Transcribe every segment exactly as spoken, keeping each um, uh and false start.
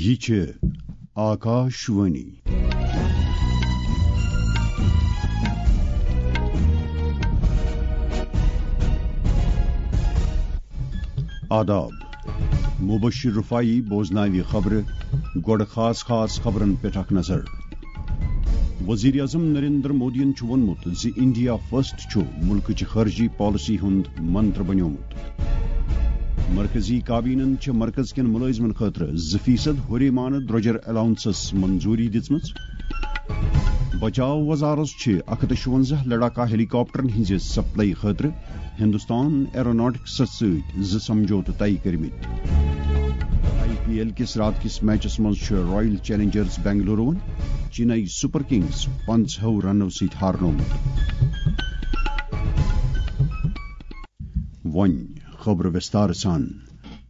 یہِ چھِ آکاش وانی۔ آداب۔ مبشر رفاعی بوزناوِ خبرٕ۔ گۄڈٕ خاص خاص خبرن پٮ۪ٹھ اکھ نظر۔ وزیر اعظم نریندر مودیَن چھُ ووٚنمُت زِ انڈیا فرسٹ چھُ مُلکٕچ خارجی پالیسی ہُنٛد منتر بنیومُت۔ مرکزی کابینن چھِ مرکز کٮ۪ن مُلٲزمن خٲطرٕ زٕ فیصد ہُریمانہٕ درٛۄجر الاونسس منظوٗری دِژمٕژ۔ بچاو وزارت چھِ اکھ ہتھ تہٕ شُونزہ لڑاکا ہیلی کاپٹرن ہٕنٛزِ سپلائی خٲطرٕ ہندوستان ایروناٹکسس سۭتۍ زٕ سمجھوتہٕ طے کٔرمٕتۍ۔ آئی پی ایل کِس راتہٕ کِس میچس منٛز چھُ royal challengers Bengaluru Chennai super kings پنٛژاہو رنو سۭتۍ ہارنومُت۔ وۄنۍ خبرٕ وِستار سان۔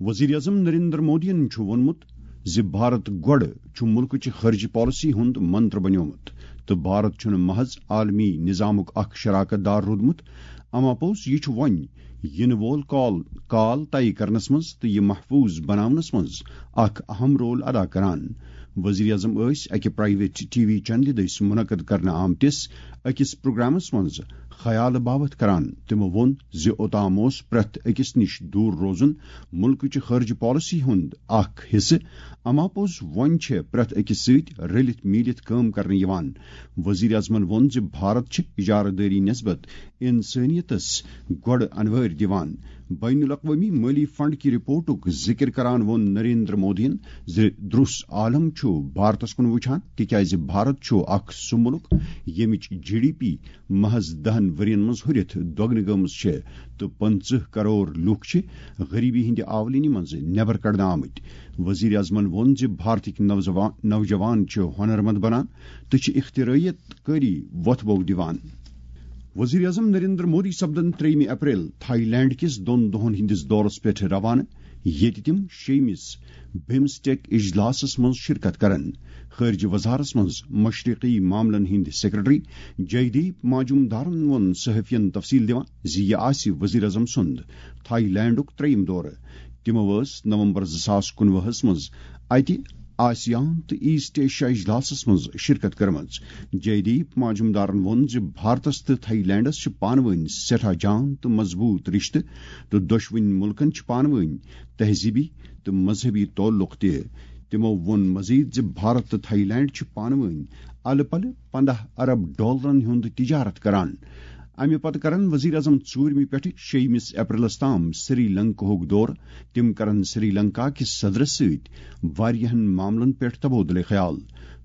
وزیر اعظم نریندر مودیَن چھُ ووٚنمُت زِ بھارت گۄڈٕ چھُ مُلکٕچہِ خارجی پالیسی ہُنٛد منتر بنیومُت تہٕ بھارت چھُنہٕ محض عالمی نظامُک اکھ شراکت دار روٗدمُت، اما پوٚز یہِ چھُ وۄنۍ یِنہٕ وول کال، کال طے کرنس منٛز تہٕ یہِ محفوٗظ بناونس منٛز اکھ اہم رول ادا کران۔ وزیر اعظم ٲسۍ اکہِ پرائیویٹ ٹی وی چینلہِ دٔسۍ منعقد کرنہٕ آمتِس أکِس پروگرامس منٛز خیالہٕ باوتھ کران۔ تِمو ووٚن زِ اوتام اوس پرٛٮ۪تھ أکِس نِش دوٗر روزُن مُلکٕچہِ خارجہِ پالیسی ہُنٛد اکھ حصہٕ، اما پوٚز وۄنۍ چھِ پرٛٮ۪تھ أکِس سۭتۍ رٔلِتھ میٖلِتھ کٲم کرنہٕ یِوان۔ وزیر اعظمن ووٚن زِ بھارت چھِ اجارٕ دٲری نسبت انسٲنیتس گۄڈٕ انوٲرۍ دِوان۔ بین الاقوٲمی مٲلی فنڈ کہِ رپورٹُک ذِکر کران ووٚن نریندر مودیَن زِ درُس عالم چھُ بھارتس کُن وُچھان، تِکیازِ بھارت چھُ اکھ سُہ مُلک ییٚمِچ جی ڈی پی محض دَہَن ؤرین منٛز ہُرِتھ دۄگنہٕ گٔمٕژ چھِ تہٕ پٕنٛژٕہ کرور لوٗکھ چھِ غریبی ہٕنٛدِ آولینی منٛز نٮ۪بر کڑنہٕ آمٕتۍ۔ وزیر اعظمن ووٚن زِ بھارتٕکۍ نوجوان، نوجوان چھِ ہُنرمند بنان تہٕ چھِ اختراعیت کٲری وۄتھٕ بو دِوان۔ وزیر اعظم نریندر مودی سپدن ترٛیٚیِمہِ اپریل تھائی لینڈ کِس دۄن دۄہن ہٕنٛدِس دورس پٮ۪ٹھ روانہٕ، ییٚتہِ تِم شیٚیِمِس بِمسٹیک اجلاسس منٛز شرکت کرن۔ خارجہ وزارتس منٛز مشرقی معاملن ہٕنٛدۍ سیکرٹری جے دیپ ماجومدارن ووٚن صحافین تفصیل دِوان زِ یہِ آسہِ وزیر اعظم سُنٛد تھائی لینڈُک ترٛیٚیِم دورٕ۔ تِمو ٲس نومبر زٕ ساس کُنوُہس منٛز اتہِ آسیان تہٕ ایسٹ ایشیا اجلاسس منٛز شرکت کٔرمٕژ۔ جے دیپ ماجمدارن ووٚن زِ بھارتس تہٕ تھائی لینڈس چھِ پانہٕ وٲنۍ سٮ۪ٹھاہ جان تہٕ مضبوٗط رشتہٕ تہٕ دۄشوٕنی مُلکن چھِ پانہٕ وٲنۍ تہذیٖبی تہٕ مذہبی تعلق تہِ۔ تِمو ووٚن مزید زِ بھارت تہٕ تھائی لینڈ چھِ پانہٕ وٲنۍ الہٕ پلہٕ پنٛداہ ارب ڈالرن ہُنٛد تجارت کران۔ امہِ پتہٕ کرن وزیر اعظم ژوٗرمہِ پٮ۪ٹھٕ شیٚیِمِس اپریلس تام سری لنکاہُک دورٕ۔ تِم کرن سری لنکا کِس صدرس سۭتۍ واریاہن معاملن پٮ۪ٹھ تبادلہ خیال۔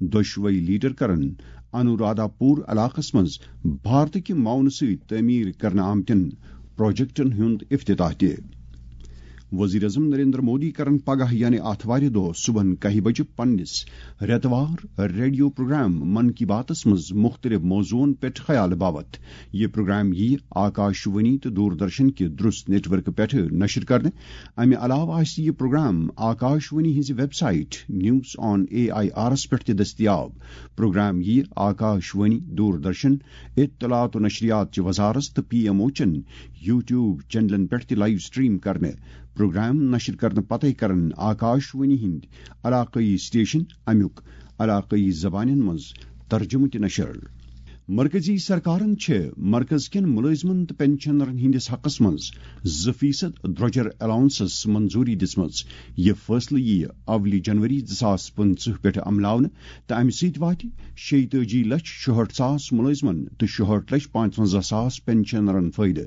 دۄشوے لیڈر کرن انورادھا پور علاقس منٛز بھارتٕکہِ معاونہٕ سۭتۍ تعمیٖر کرنہٕ آمتٮ۪ن پروجیکٹن ہُنٛد افتتاح تہِ۔ وزیر اعظم نریندر مودی کرن پگاہ یعنی آتھوارِ دۄہ صبحن کاہہِ بجہِ پننِس رٮ۪توار ریڈیو پروگرام من کی باتس منٛز مُختٔلِف موضوعن پٮ۪ٹھ خیال باوتھ۔ یہِ پروگرام یِیہِ آکاش وانی تہٕ دوردرشن کہِ درُس نیٹ ورکہٕ پٮ۪ٹھٕ نشر کرنہٕ۔ امہِ علاوٕ آسہِ یہِ پروگرام آکاش وانی ہٕنٛزِ website news on A I آرس پٮ۪ٹھ تہِ دٔستیاب۔ پروگرام یِیہِ آکاش وانی، دوردرشن، اطلاعات و نشریات چہِ وزارت تہٕ پی ایم او چٮ۪ن یوٹیوب چینلن پٮ۪ٹھ تہِ لائیو سٹریم کرنہٕ۔ پروگرام نشر کرنہٕ پتے کرن آکاش وانی ہٕنٛدۍ علاقٲیی سٹیشن امیُک علاقٲیی زبانن منٛز ترجمہٕ تہِ نشر۔ مرکزی سرکارن چھِ مرکز کٮ۪ن مُلٲزمن تہٕ پنشنرن ہٕنٛدِس حقس منٛز زٕ فیصد درٛۄجر الاونسس منظوٗری دِژمٕژ۔ یہِ فٲصلہٕ یِیہِ اولہِ جنوری زٕ ساس پٕنٛژٕہ پٮ۪ٹھ عملاونہٕ تہٕ امہِ سۭتۍ واتہِ شیٚیہِ تٲجی لچھ شُہٲٹھ ساس مُلٲزمن تہٕ شُہٲٹھ لچھ پانٛژونزہ ساس پنشنرن فٲیدٕ۔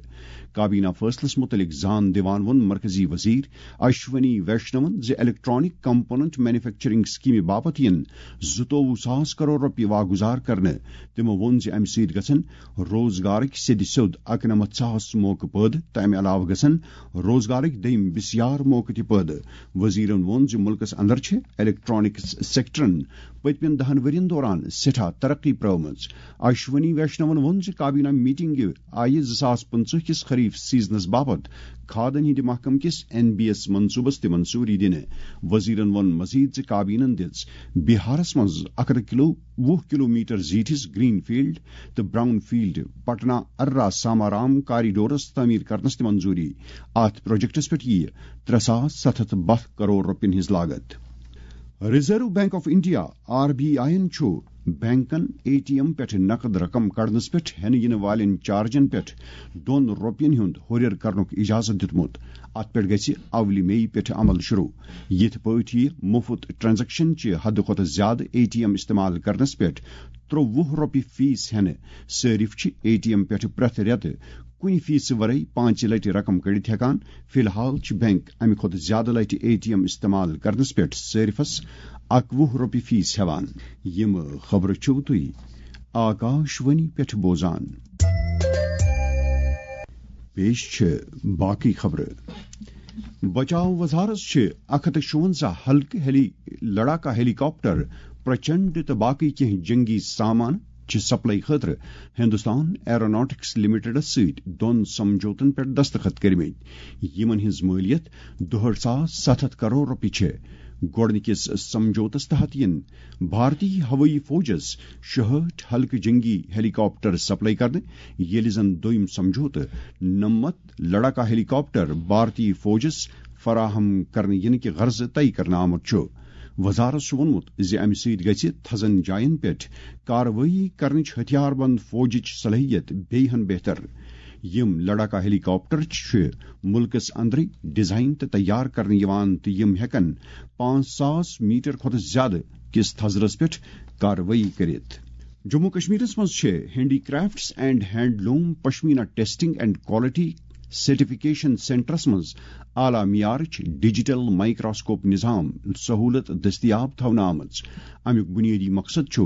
کابینہ فٲصلس مُتعلق زان دِوان ووٚن مرکزی وزیر اشونی ویشنون زِ الیکٹرانک کمپوننٹ مینوفیکچرنگ سکیمہِ باپتھ یِن زٕتووُہ ساس کرور رۄپیہِ واگُزار کرنہٕ۔ تِمو ووٚن زِ امہِ سۭتۍ گژھن روزگارٕکۍ سیٚدِ سیوٚد اَکنَمَتھ ساس موقعہٕ پٲدٕ تہٕ امہِ علاوٕ گژھن روزگارٕکۍ دوٚیِم بِسیار موقعہٕ تہِ پٲدٕ۔ وزیرن ووٚن زِ مُلکس اندر چھِ الیکٹرانکس سیکٹرن پٔتمٮ۪ن دَہَن ؤرین دوران سٮ۪ٹھاہ ترقی پرٲومٕژ۔ اشونی ویشنون ووٚن زِ کابینہ میٹنگہِ آیہِ زٕ ساس پٕنٛژٕہ کِس خریف سیزنس باپتھ کھادن ہٕنٛدِ محکمہٕ کِس این بی ایس منصوبس تہِ منظوٗری دِنہٕ۔ وزیرن ووٚن مزید زِ کابینن دِژ بِہارس منٛز اکھ ہتھ کلو، وُہ کلومیٹر زیٖٹھِس گرین فیلڈ تہٕ براؤن فیلڈ پٹنہ ارا سامارام کاریڈورس تعمیٖر کرنس تہِ منظوٗری۔ اتھ پروجیکٹس پٮ۪ٹھ یِیہِ ترٛےٚ ساس ستھ ہتھ باہ کرور رۄپین ہٕنٛز لاگت۔ Reserve bank of India, R B I یَن چھُ بینکن اے ٹی ایم پٮ۪ٹھ نقد رقم کڑنس پٮ۪ٹھ ہٮ۪نہٕ یِنہٕ والٮ۪ن چارجن پٮ۪ٹھ دۄن رۄپین ہُنٛد ہُرٮ۪ر کرنُک اجازت دیُتمُت۔ اتھ پٮ۪ٹھ گژھِ اولہِ مئی پٮ۪ٹھ عمل شروع۔ یِتھ پٲٹھۍ یہِ مُفت ٹرانزیکشن چہِ حدٕ کھۄتہٕ زیادٕ اے ٹی ایم استعمال کرنس پٮ۪ٹھ ترٛوٚوُہ رۄپیہِ فیس ہٮ۪نہٕ صٲرِف چھِ اے ٹی ایم پٮ۪ٹھ پرٛٮ۪تھ رٮ۪تہٕ کُنہِ فیسہٕ ورٲے پانٛژِ لٹہِ رقم کٔڑِتھ ہٮ۪کان۔ فی الحال چھِ بینک امہِ کھۄتہٕ زیادٕ لٹہِ اے ٹی ایم استعمال کرنس پٮ۪ٹھ صٲرِفس اَکوُہ رۄپیہِ فیس ہٮ۪وان۔ یِم خبرٕ چھِو تُہۍ آکاش وانی پٮ۪ٹھ بوزان۔ پیش چھِ باقٕے خبرٕ۔ بچاو وزارت چھِ اکھ ہتھ تہٕ شُونزہ ہلکہٕ ہیلی، لڑاکا ہیلی کاپٹر، پرچنڈ تہٕ باقٕے کینٛہہ جنگی سامان چہِ سپلائی خٲطرٕ ہندوستان ایروناٹکس لمیٹڈس سۭتۍ دۄن سمجھوتن پٮ۪ٹھ دستخط کٔرمٕتۍ، یِمن ہٕنٛز مٲلیت دُہٲٹھ ساس ستھ ہتھ کرور رۄپیہِ چھےٚ۔ گۄڈٕنِکِس سمجھوتس تحت یِن بھارتی ہوٲیی فوجس شُہٲٹھ ہلکہٕ جنگی ہیلی کاپٹر سپلائی کرنہٕ، ییٚلہِ زن دوٚیِم سمجھوتہٕ نَمَتھ لڑاکا ہیلی کاپٹر بھارتی فوجس فراہم کرنہٕ یِنہٕ کہِ غرضہٕ طے کرنہٕ آمُت چھُ۔ وزارت چھُ ووٚنمُت زِ اَمہِ سۭتۍ گژھِ تھزن جاین پٮ۪ٹھ کاروٲیی کرنٕچ ہتھیار بند فوجٕچ صلٲحیت بیٚیہِ ہن بہتر۔ یِم لڑاکا ہیلی کاپٹر چھِ مُلکس اندرٕے ڈیزائن تہٕ تیار کرنہٕ یِوان تہٕ یِم ہٮ۪کن پانٛژھ ساس میٹر کھۄتہٕ زیادٕ کِس تھزرس پٮ۪ٹھ کاروٲیی کٔرِتھ۔ جموں کشمیرس منٛز چھِ handicrafts and handloom pashmina testing and quality certification سینٹرس منٛز اعلیٰ معیارٕچ ڈیجیٹل مائیکروسکوپ نظام سہولت دٔستیاب تھاونہٕ آمٕژ۔ امیُک بنیٲدی مقصد چھُ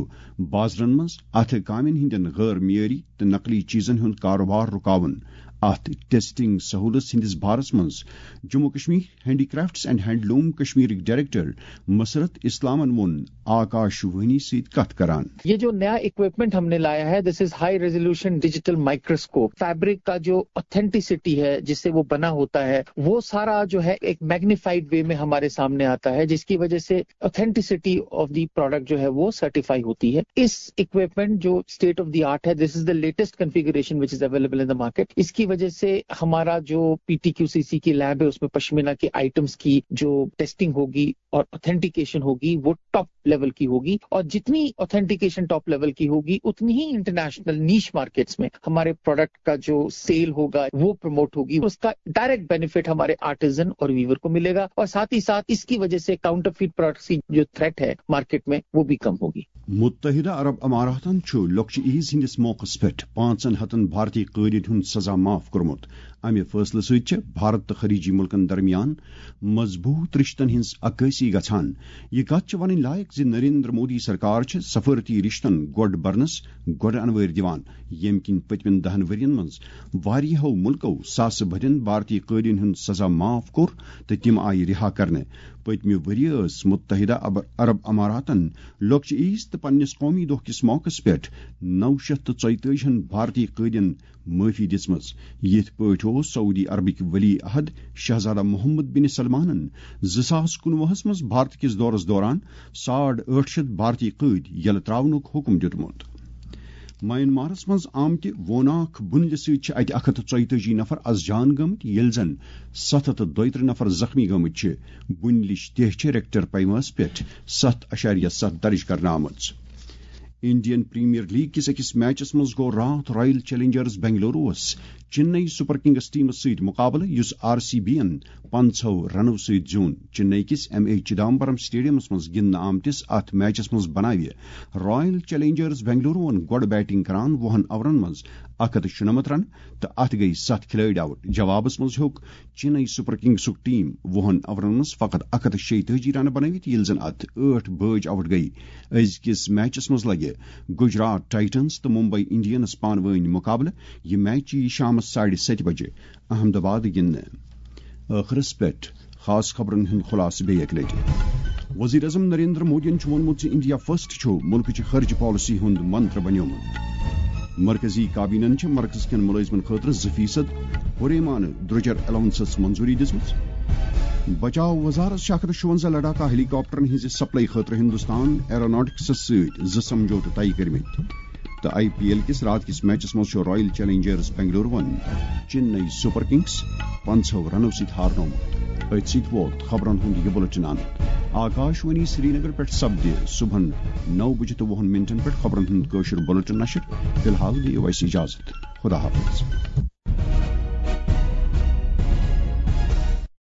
بازرن منٛز اتھٕ کامٮ۪ن ہٕنٛدٮ۪ن غٲر معیٲری تہٕ نقلی چیزن ہُنٛد کاروبار رُکاوُن۔ اتھ ٹیسٹنگ سہولت ہٕنٛدِس بارس منٛز Jammu Kashmir handicrafts and handloom کشمیرٕکۍ ڈائریکٹر مسرت اسلامن ووٚن آکاش وانی سۭتۍ کتھ کران۔ یہ جو نیا اکوپمنٹ ہم نے لایا ہے، this is high resolution digital microscope. Fabric کا جو آتھینٹیسٹی ہے جس سے وہ بنا ہوتا ہے، وہ سارا جو ہے ایک میگنیفائیڈ وے میں ہمارے سامنے آتا ہے، جس کی وجہ سے آتھینٹیسٹی آف دی پروڈکٹ جو ہے وہ سرٹیفائی ہوتی ہے۔ اس اکوپمنٹ جو اسٹیٹ آف دی آرٹ ہے، this is the latest configuration which is available in the market. اس کی وجہ سے ہمارا جو P T Q C C کی لیب ہے، اس میں پشمینہ کی آئٹمس کی جو ٹیسٹنگ ہوگی اور آتھینٹیکیشن ہوگی، وہ ٹاپ لیول کی ہوگی، اور جتنی آتھینٹیکیشن ٹاپ لیول کی ہوگی، اتنی ہی انٹرنیشنل نیش مارکیٹس میں ہمارے پروڈکٹ کا جو سیل ہوگا، وہ پروموٹ ہوگی، اس کا ڈائریکٹ بینیفٹ ہمارے آرٹیزن اور ویور کو ملے گا، اور ساتھ ہی ساتھ اس کی وجہ سے کاؤنٹرفیٹ پروڈکٹس کی جو تھریٹ ہے مارکیٹ میں، وہ بھی کم ہوگی۔ متحدہ عرب اماراتن چھُ لۄکچہِ عیز ہٕنٛدِس موقعس پٮ۪ٹھ پانٛژن ہتن بھارتی قٲدٮ۪ن ہُنٛد سزا معاف کوٚرمُت۔ امہِ فٲصلہٕ سۭتۍ چھِ بھارت تہٕ خلیجی مُلکن درمیان مضبوٗط رِشتن ہٕنٛز عکٲسی گژھان۔ یہِ کتھ چھِ ونٕنۍ لایق زِ نریندر مودی سرکار چھِ سفارتی رِشتن گۄڈ برنس گۄڈٕ انوٲرۍ دِوان، ییٚمہِ کِنۍ پٔتمٮ۪ن دہن ؤرین منٛز واریاہو مُلکو ساسہٕ بٔدٮ۪ن بھارتی قٲدٮ۪ن ہُنٛد سزا معاف کوٚر تہٕ تِم آیہِ رِہا کرنہٕ۔ پٔتمہِ ؤریہِ ٲس متحدہ عب-، عرب اماراتن لۄکچہِ عیز تہٕ پننِس قومی دۄہ کِس موقعس پٮ۪ٹھ نو شیٚتھ تہٕ ژۄیتٲجی ہن بھارتی قٲدٮ۪ن معٲفی دِژمٕژ۔ یِتھ پٲٹھۍ اوس سعودی عربٕکۍ ولی عہد شہزادہ محمد بن سلمانن زٕ ساس کُنوُہس منٛز بھارت کِس دورس دوران ساڑ ٲٹھ شیٚتھ بھارتی قٲدۍ یلہٕ تراونُک حکم دیُتمُت۔ میانمارس منٛز آمتہِ ووناکھ بُنلہِ سۭتۍ چھِ اتہِ اکھ ہتھ تہٕ ژۄیتٲجی نفر از جان گٔمٕتۍ، ییٚلہِ زن ستھ ہتھ تہٕ دۄیترٕہ نفر زخمی گٔمٕتۍ چھِ۔ بُنلِچ تیہ چھِ ریکٹر پیمٲژ پٮ۪ٹھ ستھ اعشاریہ ستھ درج کرنہٕ آمٕژ۔ انڈین پریمیئر لیگ کِس أکِس میچس منٛز گوٚو راتھ رائل چیلنجرز بنگلوروَس چنئی سپر کنگز ٹیمس سۭتۍ مقابلہٕ، یُس آر سی بی یَن پنٛژاہ رنو سۭتۍ زیوٗن۔ چنئی کِس ایم اے چدمبرم سٹیڈیمس منٛز گِنٛدنہٕ آمتِس اتھ میچس منٛز بناوِ رائل چیلنجرز بنگلوروَن گۄڈٕ بیٹنگ کران وُہن اورن منٛز اکھ ہتھ تہٕ شُنمتھ رن تہٕ اتھ گٔیہِ ستھ کھلٲڑۍ آؤٹ۔ جوابس منٛز ہیوٚک چنئی سپر کنگزُک ٹیم وُہن اورن منٛز فقط اکھ ہتھ تہٕ شیٚیہِ تٲجی رنہٕ بنٲوِتھ، ییٚلہِ زن اتھ ٲٹھ بٲجۍ آؤٹ گٔیہِ۔ أزکِس میچس منٛز لگہِ گجرات ٹائٹنز تہٕ ممبئی انڈینز پانہٕ وٲنۍ مقابلہٕ۔ یہِ میچ یِیہِ شامس ساڑِ ستہِ بجہِ احمد آباد گِنٛدنہٕ۔ ٲخرس پٮ۪ٹھ خاص خبرن ہُنٛد خلاصہٕ بیٚیہِ اکہِ لٹہِ۔ وزیر اعظم نریندر مودیَن چھُ ووٚنمُت زِ انڈیا فرسٹ چھُ مُلکٕچہِ خارجہ پالیسی ہُنٛد منتر بنیومُت۔ مرکزی کابینہَن چھِ مرکز کٮ۪ن مُلٲزمَن خٲطرٕ زٕ فیصد ہُریمانہٕ درٛوجر الاونسس منظوٗری دِژمٕژ۔ بچاو وزارت چھِ اکھ ہتھ شُونزہ لڑاکا ہیلی کاپٹرن ہٕنٛزِ سپلائی خٲطرٕ ہندوستان ایروناٹکسس سۭتۍ زٕ سمجھوتہٕ طے کٔرمٕتۍ۔ تہٕ آئی پی ایل کِس راتھ کِس میچس منٛز چھُ رائل چیلنجرز بنگلوروَن چنئی سپر کنگز پنٛژاہ رنو سۭتۍ ہارنومُت۔ أتھۍ سۭتۍ ووت خبرن ہُنٛد یہِ بُلٹن اند۔ آکاشوانی سرینگر پٮ۪ٹھ سپدِ صبحن نو بجہِ تہٕ وُہن منٹن پٮ۪ٹھ خبرن ہُنٛد کٲشُر بلیٹن نشر۔ فی الحال دِیِو اَسہِ اجازت۔ خدا حافظ۔